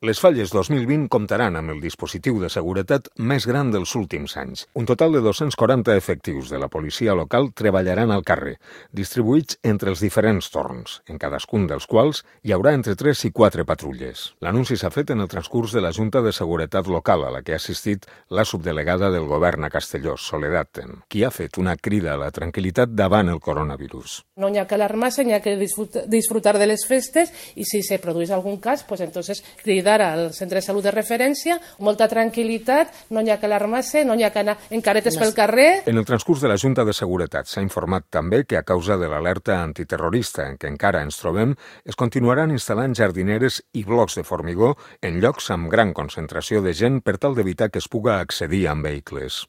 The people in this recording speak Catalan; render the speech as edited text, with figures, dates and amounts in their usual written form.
Les Falles 2020 comptaran amb el dispositiu de seguretat més gran dels últims anys. Un total de 240 efectius de la policia local treballaran al carrer, distribuïts entre els diferents torns, en cadascun dels quals hi haurà entre 3 i 4 patrulles. L'anunci s'ha fet en el transcurs de la Junta de Seguretat Local, a la que ha assistit la subdelegada del govern a Castelló, Soledad Ten, qui ha fet una crida a la tranquil·litat davant el coronavirus. No hi ha que alarmar-se, hi ha que disfrutar de les festes i si se produeix algun cas, pues entonces cridar al centre de salut de referència, molta tranquil·litat, no hi ha que alarmar-se, no hi ha que anar en caretes pel carrer. En el transcurs de la Junta de Seguretat s'ha informat també que a causa de l'alerta antiterrorista en què encara ens trobem, es continuaran instal·lant jardineres i blocs de formigó en llocs amb gran concentració de gent per tal d'evitar que es puga accedir amb vehicles.